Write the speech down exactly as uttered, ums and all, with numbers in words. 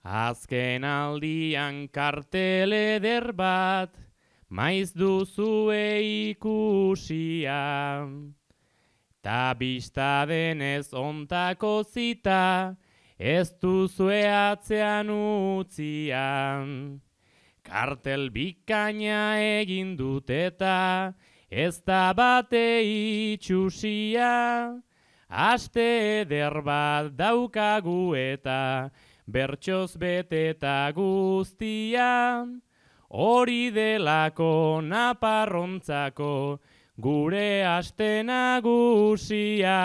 Azken aldian kartel eder bat, maiz duzue ikusia. Ta bista denez ontako zita, ez duzue atzean utzian. Kartel bikaina egin dut eta, ez da bate itxusia. Aste eder bat daukagu eta, bertsoz beteta guztia. Hori delako naparrontzako, gure aste nagusia.